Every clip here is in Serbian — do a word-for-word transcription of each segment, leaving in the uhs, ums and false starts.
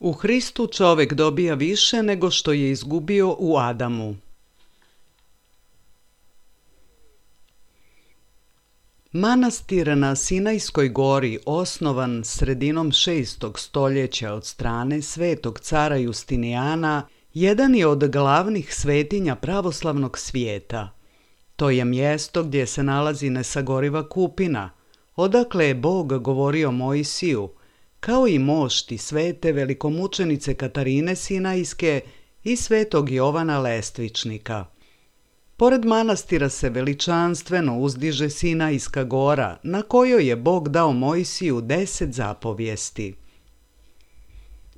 U Hristu čovjek dobija više nego što je izgubio u Adamu. Manastir na Sinajskoj gori, osnovan sredinom šestog stoljeća od strane svetog cara Justinijana, jedan je od glavnih svetinja pravoslavnog svijeta. To je mjesto gdje se nalazi nesagoriva kupina, odakle je Bog govorio Mojsiju, kao i mošti svete velikomučenice Katarine Sinajske i svetog Jovana Lestvičnika. Pored manastira se veličanstveno uzdiže Sinajska gora, na kojoj je Bog dao Mojsiju deset zapovijesti.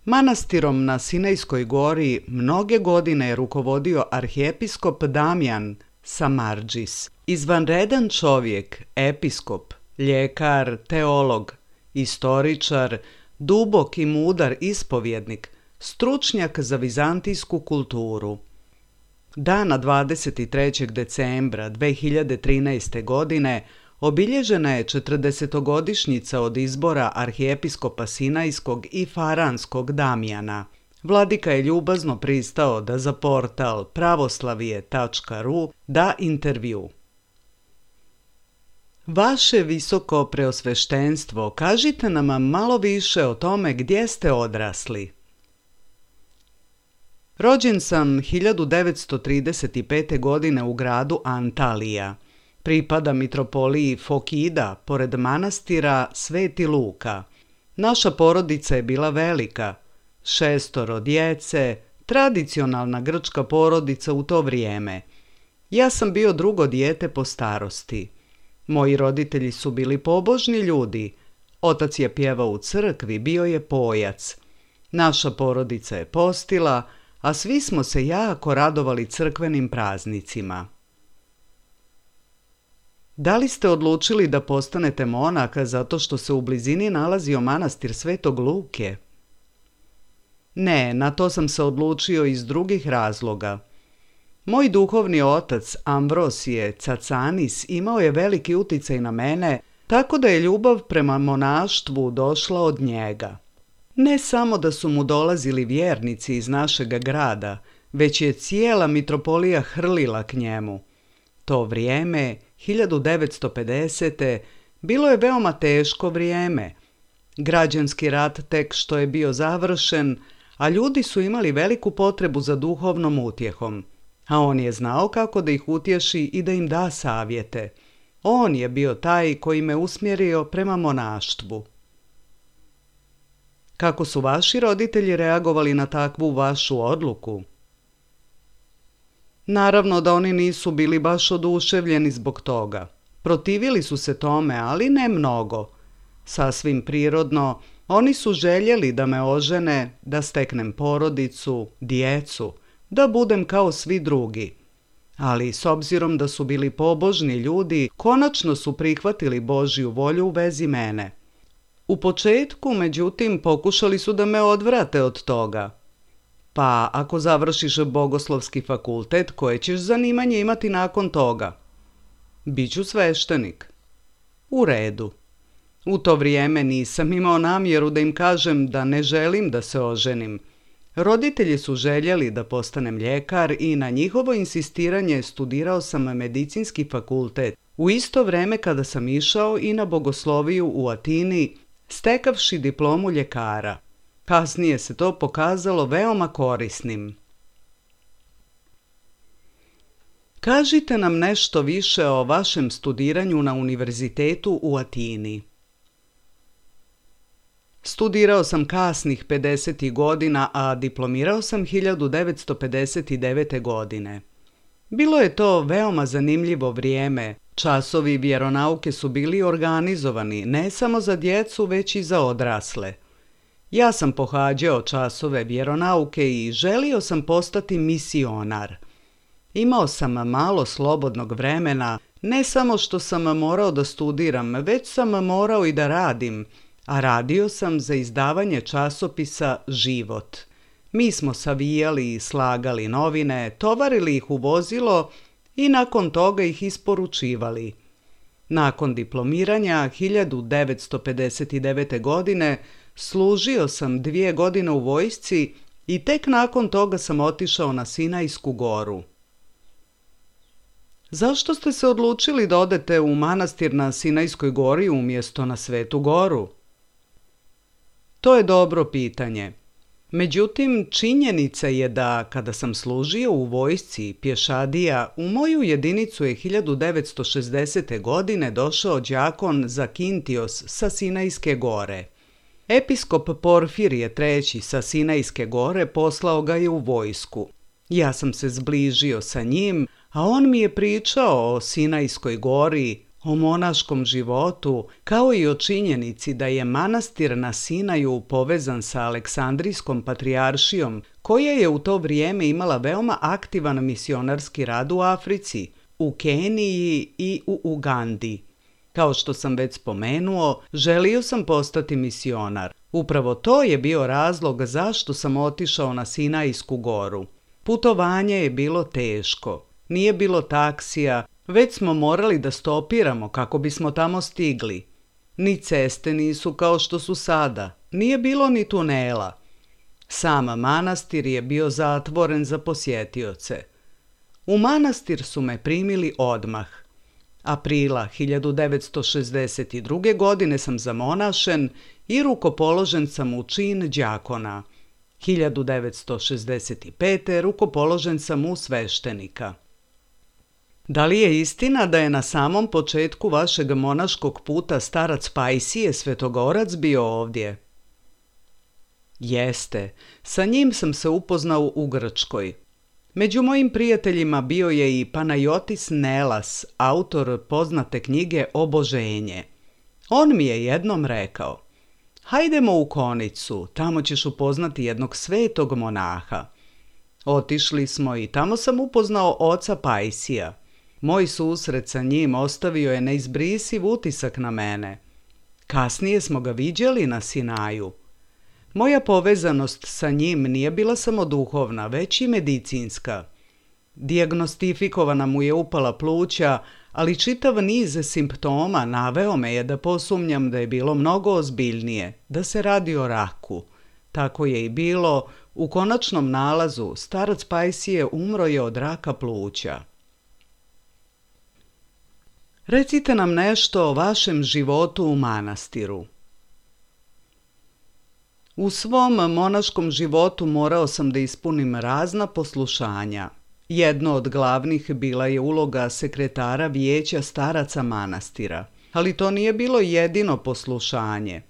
Manastirom na Sinajskoj gori mnoge godine je rukovodio arhijepiskop Damjan Samardžis, izvanredan čovjek, episkop, ljekar, teolog, istoričar, dubok i mudar ispovjednik, stručnjak za vizantijsku kulturu. Dana dvadeset trećeg decembra dve hiljade trinaeste. godine obilježena je četrdesetogodišnjica od izbora arhijepiskopa Sinajskog i Faranskog Damjana. Vladika je ljubazno pristao da za portal pravoslavije tačka ru da intervju. Vaše visoko preosveštenstvo, kažite nam malo više o tome gdje ste odrasli. Rođen sam hiljadu devetsto trideset pete. godine u gradu Antalija. Pripada mitropoliji Fokida, pored manastira Sveti Luka. Naša porodica je bila velika, šestoro djece, tradicionalna grčka porodica u to vrijeme. Ja sam bio drugo dijete po starosti. Moji roditelji su bili pobožni ljudi. Otac je pjevao u crkvi, bio je pojac. Naša porodica je postila, a svi smo se jako radovali crkvenim praznicima. Da li ste odlučili da postanete monah zato što se u blizini nalazio manastir Svetog Luke? Ne, na to sam se odlučio iz drugih razloga. Moj duhovni otac Ambrosije Cacanis imao je veliki uticaj na mene, tako da je ljubav prema monaštvu došla od njega. Ne samo da su mu dolazili vjernici iz našega grada, već je cijela mitropolija hrlila k njemu. To vrijeme, hiljadu devetsto pedesete. bilo je veoma teško vrijeme. Građanski rat tek što je bio završen, a ljudi su imali veliku potrebu za duhovnom utjehom, a on je znao kako da ih utješi i da im da savjete. On je bio taj koji me usmjerio prema monaštvu. Kako su vaši roditelji reagovali na takvu vašu odluku? Naravno da oni nisu bili baš oduševljeni zbog toga. Protivili su se tome, ali ne mnogo. Sasvim prirodno, oni su željeli da me ožene, da steknem porodicu, djecu, da budem kao svi drugi. Ali s obzirom da su bili pobožni ljudi, konačno su prihvatili Božju volju u vezi mene. U početku, međutim, pokušali su da me odvrate od toga. Pa ako završiš bogoslovski fakultet, koje ćeš zanimanje imati nakon toga? Biću sveštenik. U redu. U to vrijeme nisam imao namjeru da im kažem da ne želim da se oženim. Roditelji su željeli da postanem ljekar i na njihovo insistiranje studirao sam medicinski fakultet, u isto vrijeme kada sam išao i na bogosloviju u Atini, stekavši diplomu ljekara. Kasnije se to pokazalo veoma korisnim. Kažite nam nešto više o vašem studiranju na univerzitetu u Atini. Studirao sam kasnih pedesetih godina, a diplomirao sam hiljadu devetsto pedeset devete. godine. Bilo je to veoma zanimljivo vrijeme. Časovi vjeronauke su bili organizovani ne samo za djecu, već i za odrasle. Ja sam pohađao časove vjeronauke i želio sam postati misionar. Imao sam malo slobodnog vremena, ne samo što sam morao da studiram, već sam morao i da radim, a radio sam za izdavanje časopisa Život. Mi smo savijali i slagali novine, tovarili ih u vozilo i nakon toga ih isporučivali. Nakon diplomiranja hiljadu devetsto pedeset devete. godine služio sam dvije godine u vojsci i tek nakon toga sam otišao na Sinajsku goru. Zašto ste se odlučili da odete u manastir na Sinajskoj gori umjesto na Svetu goru? To je dobro pitanje. Međutim, činjenica je da kada sam služio u vojsci pješadija, u moju jedinicu je hiljadu devetsto šezdesete. godine došao đakon Zakintios sa Sinajske gore. Episkop Porfirije treći sa Sinajske gore poslao ga je u vojsku. Ja sam se zbližio sa njim, a on mi je pričao o Sinajskoj gori, o monaškom životu, kao i o činjenici da je manastir na Sinaju povezan sa Aleksandrijskom patrijaršijom, koja je u to vrijeme imala veoma aktivan misionarski rad u Africi, u Keniji i u Ugandi. Kao što sam već spomenuo, želio sam postati misionar. Upravo to je bio razlog zašto sam otišao na Sinajsku goru. Putovanje je bilo teško. Nije bilo taksija, već smo morali da stopiramo kako bismo tamo stigli. Ni ceste nisu kao što su sada, nije bilo ni tunela. Sam manastir je bio zatvoren za posjetioce. U manastir su me primili odmah. Aprila hiljadu devetsto šezdeset druge. godine sam zamonašen i rukopoložen sam u čin đakona. hiljadu devetsto šezdeset pete. rukopoložen sam u sveštenika. Da li je istina da je na samom početku vašeg monaškog puta starac Pajsije Svetogorac bio ovdje? Jeste, sa njim sam se upoznao u Grčkoj. Među mojim prijateljima bio je i Panajotis Nelas, autor poznate knjige Oboženje. On mi je jednom rekao: hajdemo u Konicu, tamo ćeš upoznati jednog svetog monaha. Otišli smo i tamo sam upoznao oca Pajsija. Moj susret sa njim ostavio je neizbrisiv utisak na mene. Kasnije smo ga viđali na Sinaju. Moja povezanost sa njim nije bila samo duhovna, već i medicinska. Dijagnostifikovana mu je upala pluća, ali čitav niz simptoma naveo me je da posumnjam da je bilo mnogo ozbiljnije, da se radi o raku. Tako je i bilo. U konačnom nalazu starac Pajsije umro je od raka pluća. Recite nam nešto o vašem životu u manastiru. U svom monaškom životu morao sam da ispunim razna poslušanja. Jedno od glavnih bila je uloga sekretara vijeća staraca manastira, ali to nije bilo jedino poslušanje.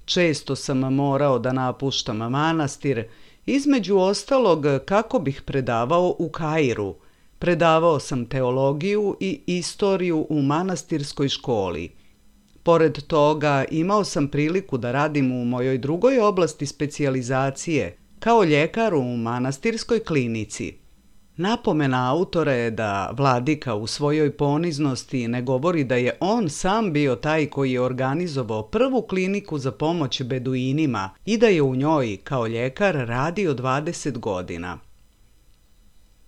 Često sam morao da napuštam manastir, između ostalog kako bih predavao u Kairu. Predavao sam teologiju i istoriju u manastirskoj školi. Pored toga imao sam priliku da radim u mojoj drugoj oblasti specijalizacije, kao ljekar u manastirskoj klinici. Napomena autora je da vladika u svojoj poniznosti ne govori da je on sam bio taj koji je organizovao prvu kliniku za pomoć beduinima i da je u njoj kao ljekar radio dvadeset godina.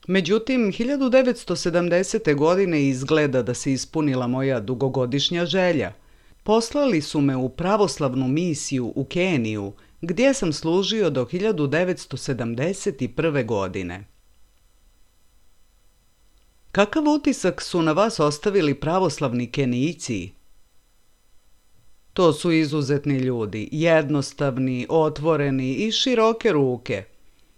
Međutim, hiljadu devetsto sedamdesete. godine izgleda da se ispunila moja dugogodišnja želja. Poslali su me u pravoslavnu misiju u Keniju, gdje sam služio do hiljadu devetsto sedamdeset prve. godine. Kakav utisak su na vas ostavili pravoslavni Kenijci? To su izuzetni ljudi, jednostavni, otvoreni i široke ruke.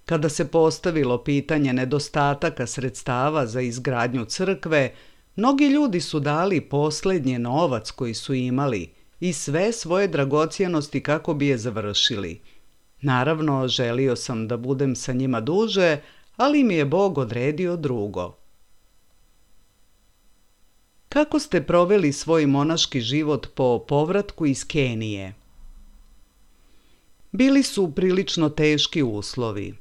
Kada se postavilo pitanje nedostataka sredstava za izgradnju crkve, mnogi ljudi su dali posljednji novac koji su imali i sve svoje dragocjenosti kako bi je završili. Naravno, želio sam da budem sa njima duže, ali mi je Bog odredio drugo. Kako ste proveli svoj monaški život po povratku iz Kenije? Bili su prilično teški uslovi.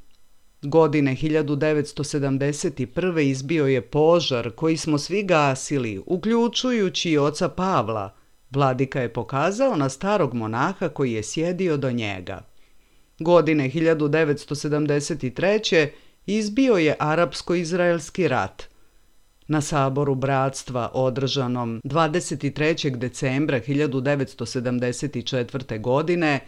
Godine hiljadu devetsto sedamdeset prve. izbio je požar koji smo svi gasili, uključujući i oca Pavla. Vladika je pokazao na starog monaha koji je sjedio do njega. Godine hiljadu devetsto sedamdeset treće. izbio je Arapsko-izraelski rat. Na saboru bratstva održanom dvadeset trećeg decembra hiljadu devetsto sedamdeset četvrte. godine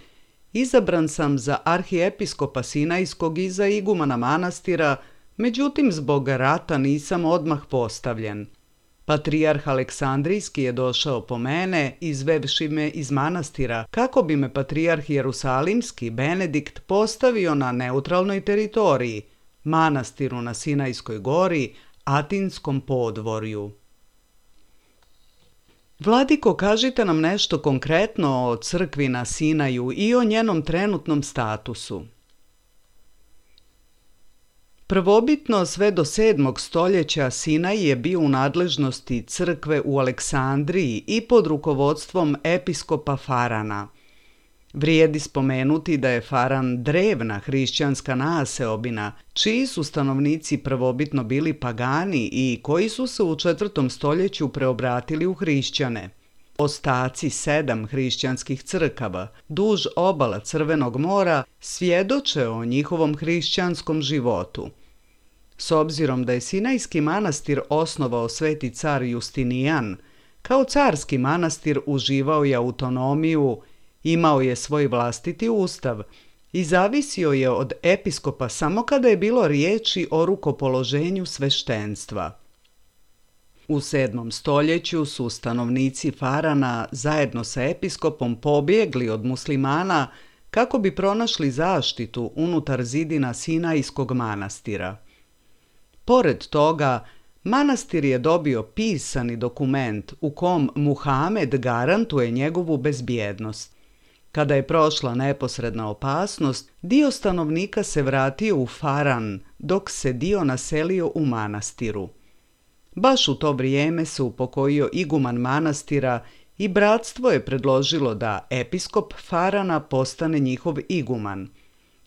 izabran sam za arhiepiskopa Sinajskog i za igumana manastira, međutim zbog rata nisam odmah postavljen. Patrijarh Aleksandrijski je došao po mene, izvevši me iz manastira, kako bi me patrijarh Jerusalimski Benedikt postavio na neutralnoj teritoriji, manastiru na Sinajskoj gori, Atinskom podvorju. Vladiko, kažite nam nešto konkretno o crkvi na Sinaju i o njenom trenutnom statusu. Prvobitno sve do sedmog stoljeća Sinaj je bio u nadležnosti crkve u Aleksandriji i pod rukovodstvom episkopa Farana. Vrijedi spomenuti da je Faran drevna hrišćanska naseobina, čiji su stanovnici prvobitno bili pagani i koji su se u četvrtom stoljeću preobratili u hrišćane. Ostaci sedam hrišćanskih crkava duž obala Crvenog mora svjedoče o njihovom hrišćanskom životu. S obzirom da je Sinajski manastir osnovao sveti car Justinijan, kao carski manastir uživao je autonomiju, imao je svoj vlastiti ustav i zavisio je od episkopa samo kada je bilo riječi o rukopoloženju sveštenstva. U sedmom stoljeću su stanovnici Farana zajedno sa episkopom pobjegli od muslimana kako bi pronašli zaštitu unutar zidina Sinajskog manastira. Pored toga, manastir je dobio pisani dokument u kom Muhamed garantuje njegovu bezbjednost. Kada je prošla neposredna opasnost, dio stanovnika se vratio u Faran, dok se dio naselio u manastiru. Baš u to vrijeme se upokojio iguman manastira i bratstvo je predložilo da episkop Farana postane njihov iguman.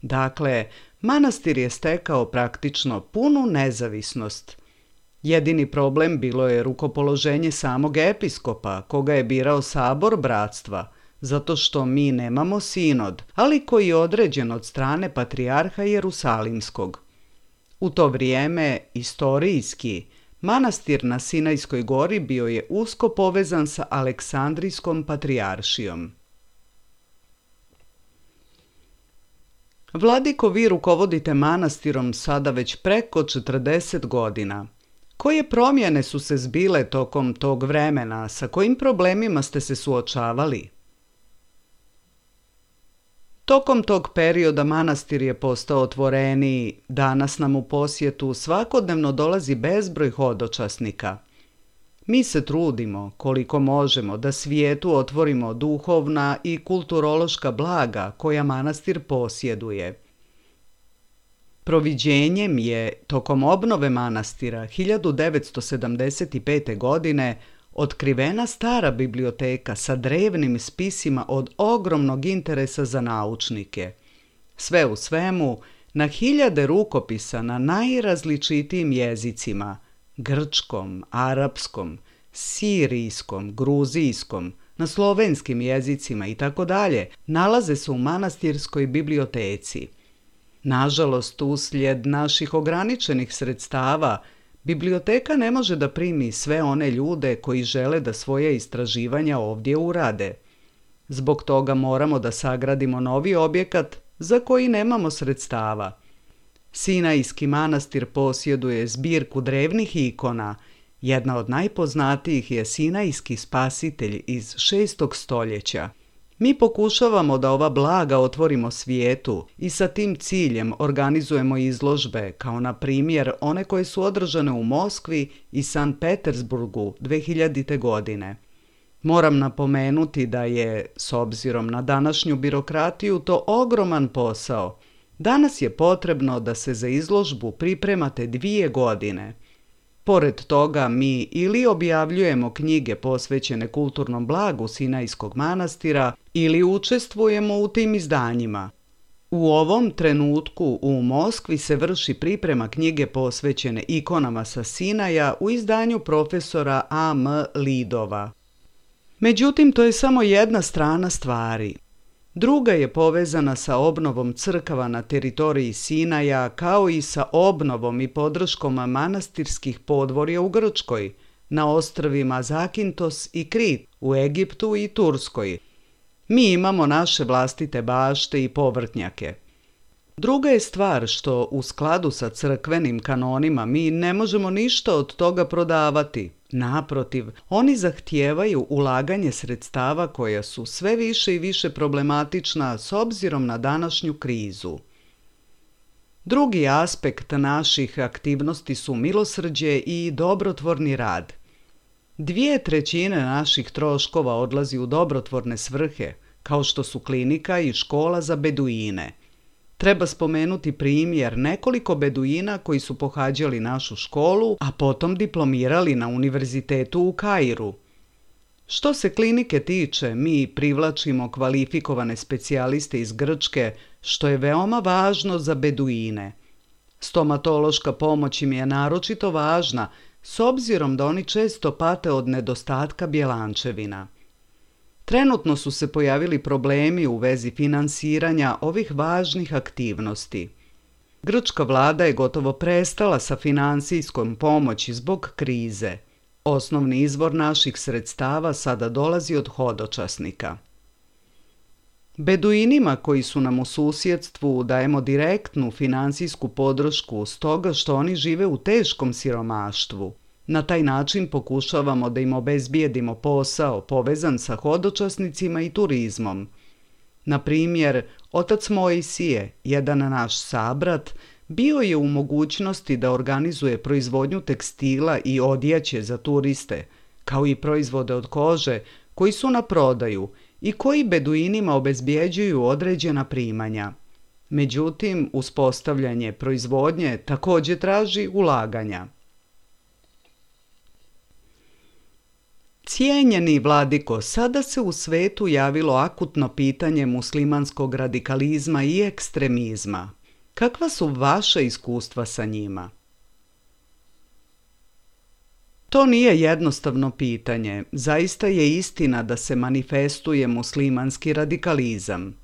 Dakle, manastir je stekao praktično punu nezavisnost. Jedini problem bilo je rukopoloženje samog episkopa, koga je birao sabor bratstva, zato što mi nemamo sinod, ali koji je određen od strane patrijarha Jerusalimskog. U to vrijeme, istorijski, manastir na Sinajskoj gori bio je usko povezan sa Aleksandrijskom patrijaršijom. Vladiko, vi rukovodite manastirom sada već preko četrdeset godina. Koje promjene su se zbile tokom tog vremena, sa kojim problemima ste se suočavali? Tokom tog perioda manastir je postao otvoreniji, danas nam u posjetu svakodnevno dolazi bezbroj hodočasnika. Mi se trudimo, koliko možemo, da svijetu otvorimo duhovna i kulturološka blaga koja manastir posjeduje. Proviđenjem je, tokom obnove manastira hiljadu devetsto sedamdeset pete. godine, otkrivena stara biblioteka sa drevnim spisima od ogromnog interesa za naučnike. Sve u svemu, na hiljade rukopisa na najrazličitijim jezicima, grčkom, arapskom, sirijskom, gruzijskom, na slovenskim jezicima itd. Nalaze se u manastirskoj biblioteci. Nažalost, uslijed naših ograničenih sredstava, biblioteka ne može da primi sve one ljude koji žele da svoje istraživanja ovdje urade. Zbog toga moramo da sagradimo novi objekat za koji nemamo sredstava. Sinajski manastir posjeduje zbirku drevnih ikona. Jedna od najpoznatijih je Sinajski spasitelj iz šestog stoljeća. Mi pokušavamo da ova blaga otvorimo svijetu i sa tim ciljem organizujemo izložbe, kao na primjer one koje su održane u Moskvi i Sankt Petersburgu dve hiljadite. godine. Moram napomenuti da je, s obzirom na današnju birokratiju, to ogroman posao. Danas je potrebno da se za izložbu pripremate dvije godine. Pored toga, mi ili objavljujemo knjige posvećene kulturnom blagu Sinajskog manastira ili učestvujemo u tim izdanjima. U ovom trenutku u Moskvi se vrši priprema knjige posvećene ikonama sa Sinaja u izdanju profesora A M Lidova. Međutim, to je samo jedna strana stvari. Druga je povezana sa obnovom crkava na teritoriji Sinaja, kao i sa obnovom i podrškom manastirskih podvorja u Grčkoj, na ostrvima Zakintos i Krit, u Egiptu i Turskoj. Mi imamo naše vlastite bašte i povrtnjake. Druga je stvar što u skladu sa crkvenim kanonima mi ne možemo ništa od toga prodavati. Naprotiv, oni zahtijevaju ulaganje sredstava koja su sve više i više problematična s obzirom na današnju krizu. Drugi aspekt naših aktivnosti su milosrđe i dobrotvorni rad. Dvije trećine naših troškova odlazi u dobrotvorne svrhe, kao što su klinika i škola za beduine. Treba spomenuti primjer nekoliko beduina koji su pohađali našu školu, a potom diplomirali na univerzitetu u Kairu. Što se klinike tiče, mi privlačimo kvalifikovane specijaliste iz Grčke, što je veoma važno za beduine. Stomatološka pomoć im je naročito važna, s obzirom da oni često pate od nedostatka bjelančevina. Trenutno su se pojavili problemi u vezi finansiranja ovih važnih aktivnosti. Grčka vlada je gotovo prestala sa finansijskom pomoći zbog krize. Osnovni izvor naših sredstava sada dolazi od hodočasnika. Beduinima koji su nam u susjedstvu dajemo direktnu finansijsku podršku stoga što oni žive u teškom siromaštvu. Na taj način pokušavamo da im obezbijedimo posao povezan sa hodočasnicima i turizmom. Na primjer, Otac Mojsije, jedan naš sabrat, bio je u mogućnosti da organizuje proizvodnju tekstila i odjeće za turiste, kao i proizvode od kože koji su na prodaju i koji beduinima obezbjeđuju određena primanja. Međutim, uspostavljanje proizvodnje također traži ulaganja. Cijenjeni vladiko, sada se u svetu javilo akutno pitanje muslimanskog radikalizma i ekstremizma. Kakva su vaša iskustva sa njima? To nije jednostavno pitanje. Zaista je istina da se manifestuje muslimanski radikalizam.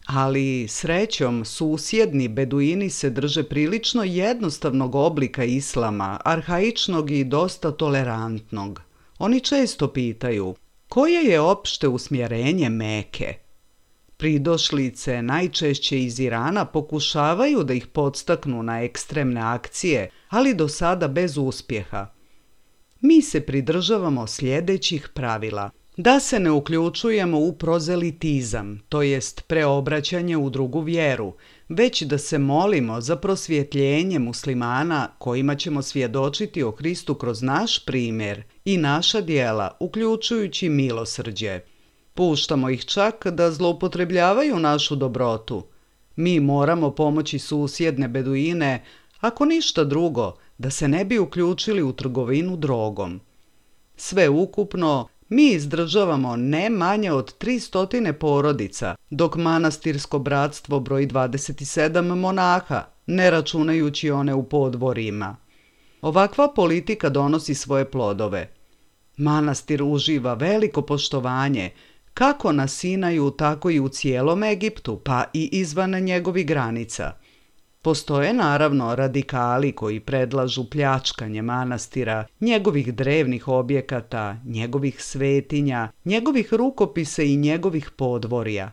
Ali, srećom, susjedni beduini se drže prilično jednostavnog oblika islama, arhaičnog i dosta tolerantnog. Oni često pitaju, koje je opšte usmjerenje Meke? Pridošlice, najčešće iz Irana, pokušavaju da ih podstaknu na ekstremne akcije, ali do sada bez uspjeha. Mi se pridržavamo sljedećih pravila. Da se ne uključujemo u prozelitizam, to jest preobraćanje u drugu vjeru, već da se molimo za prosvjetljenje muslimana kojima ćemo svjedočiti o Hristu kroz naš primjer i naša djela, uključujući milosrđe. Puštamo ih čak da zloupotrebljavaju našu dobrotu. Mi moramo pomoći susjedne beduine, ako ništa drugo, da se ne bi uključili u trgovinu drogom. Sve ukupno, mi izdržavamo ne manje od tristo porodica, dok manastirsko bratstvo broji dvadeset sedam monaha, ne računajući one u podvorima. Ovakva politika donosi svoje plodove. Manastir uživa veliko poštovanje, kako na Sinaju, tako i u cijelom Egiptu, pa i izvan njegovih granica. Postoje naravno radikali koji predlažu pljačkanje manastira, njegovih drevnih objekata, njegovih svetinja, njegovih rukopisa i njegovih podvorja.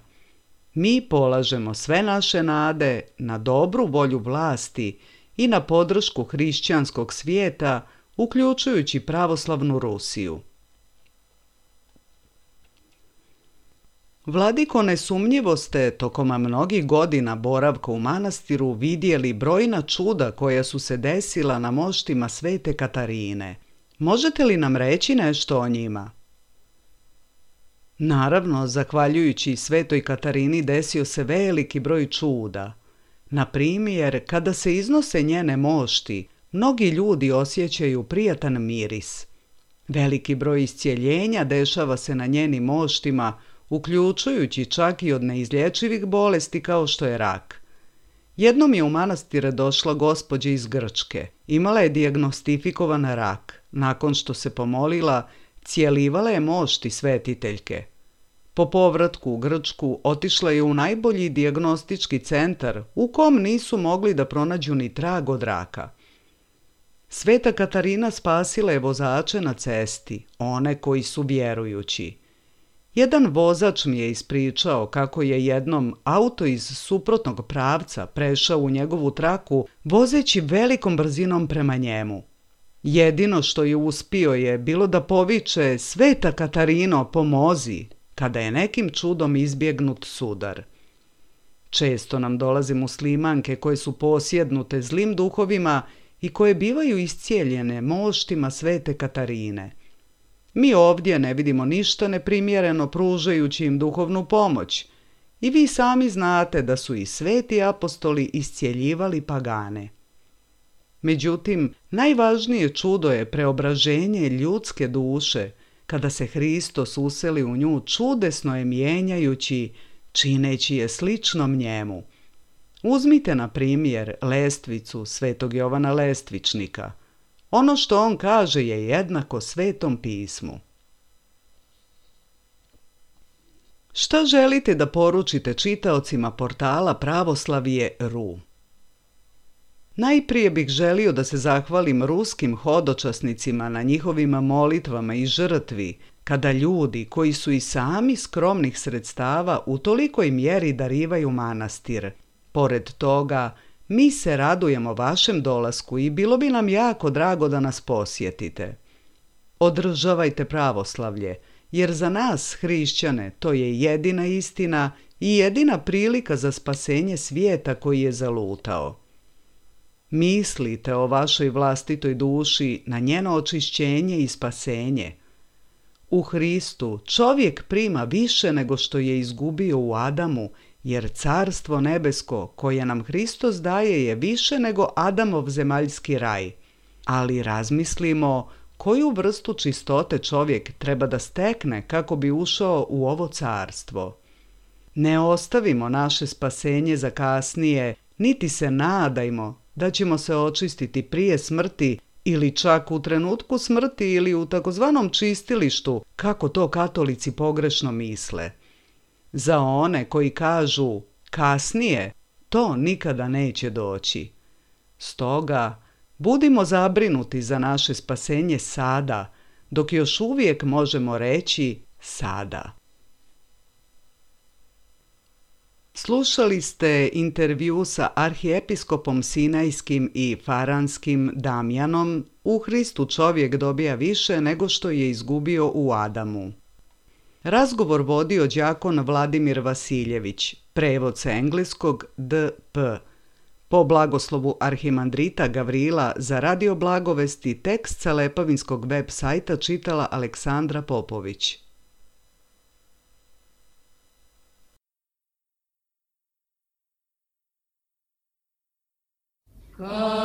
Mi polažemo sve naše nade na dobru volju vlasti i na podršku hrišćanskog svijeta, uključujući pravoslavnu Rusiju. Vladiko, nesumnjivo ste tokom mnogih godina boravka u manastiru vidjeli brojna čuda koja su se desila na moštima Svete Katarine. Možete li nam reći nešto o njima? Naravno, zahvaljujući Svetoj Katarini desio se veliki broj čuda. Na primjer, kada se iznose njene mošti, mnogi ljudi osjećaju prijatan miris. Veliki broj iscijeljenja dešava se na njenim moštima, uključujući čak i od neizlječivih bolesti kao što je rak. Jednom je u manastire došla gospođa iz Grčke. Imala je dijagnostifikovan rak. Nakon što se pomolila, cijelivala je mošti svetiteljke. Po povratku u Grčku otišla je u najbolji dijagnostički centar u kom nisu mogli da pronađu ni trag od raka. Sveta Katarina spasila je vozače na cesti, one koji su vjerujući. Jedan vozač mi je ispričao kako je jednom auto iz suprotnog pravca prešao u njegovu traku vozeći velikom brzinom prema njemu. Jedino što je uspio je bilo da poviče Sveta Katarino, pomozi, kada je nekim čudom izbjegnut sudar. Često nam dolaze muslimanke koje su posjednute zlim duhovima i koje bivaju iscijeljene moštima Svete Katarine. Mi ovdje ne vidimo ništa neprimjereno pružajući im duhovnu pomoć i vi sami znate da su i sveti apostoli iscijeljivali pagane. Međutim, najvažnije čudo je preobraženje ljudske duše, kada se Hristos useli u nju čudesno je mijenjajući, čineći je sličnom njemu. Uzmite na primjer lestvicu Svetog Jovana Lestvičnika. Ono što on kaže je jednako Svetom pismu. Šta želite da poručite čitaocima portala Pravoslavije punkt ru? Najprije bih želio da se zahvalim ruskim hodočasnicima na njihovim molitvama i žrtvi, kada ljudi koji su i sami skromnih sredstava u tolikoj mjeri darivaju manastir. Pored toga, mi se radujemo vašem dolasku i bilo bi nam jako drago da nas posjetite. Održavajte pravoslavlje, jer za nas, hrišćane, to je jedina istina i jedina prilika za spasenje svijeta koji je zalutao. Mislite o vašoj vlastitoj duši na njeno očišćenje i spasenje. U Hristu čovjek prima više nego što je izgubio u Adamu, jer carstvo nebesko koje nam Hristos daje je više nego Adamov zemaljski raj. Ali razmislimo koju vrstu čistote čovjek treba da stekne kako bi ušao u ovo carstvo. Ne ostavimo naše spasenje za kasnije, niti se nadajmo da ćemo se očistiti prije smrti ili čak u trenutku smrti ili u takozvanom čistilištu, kako to katolici pogrešno misle. Za one koji kažu kasnije, to nikada neće doći. Stoga, budimo zabrinuti za naše spasenje sada, dok još uvijek možemo reći sada. Slušali ste intervju sa arhiepiskopom Sinajskim i Faranskim Damjanom U Hristu čovjek dobija više nego što je izgubio u Adamu. Razgovor vodio đakon Vladimir Vasiljević, prevod sa engleskog D P Po blagoslovu arhimandrita Gavrila za Radio Blagovesti tekst sa Lepavinskog web sajta čitala Aleksandra Popović. God.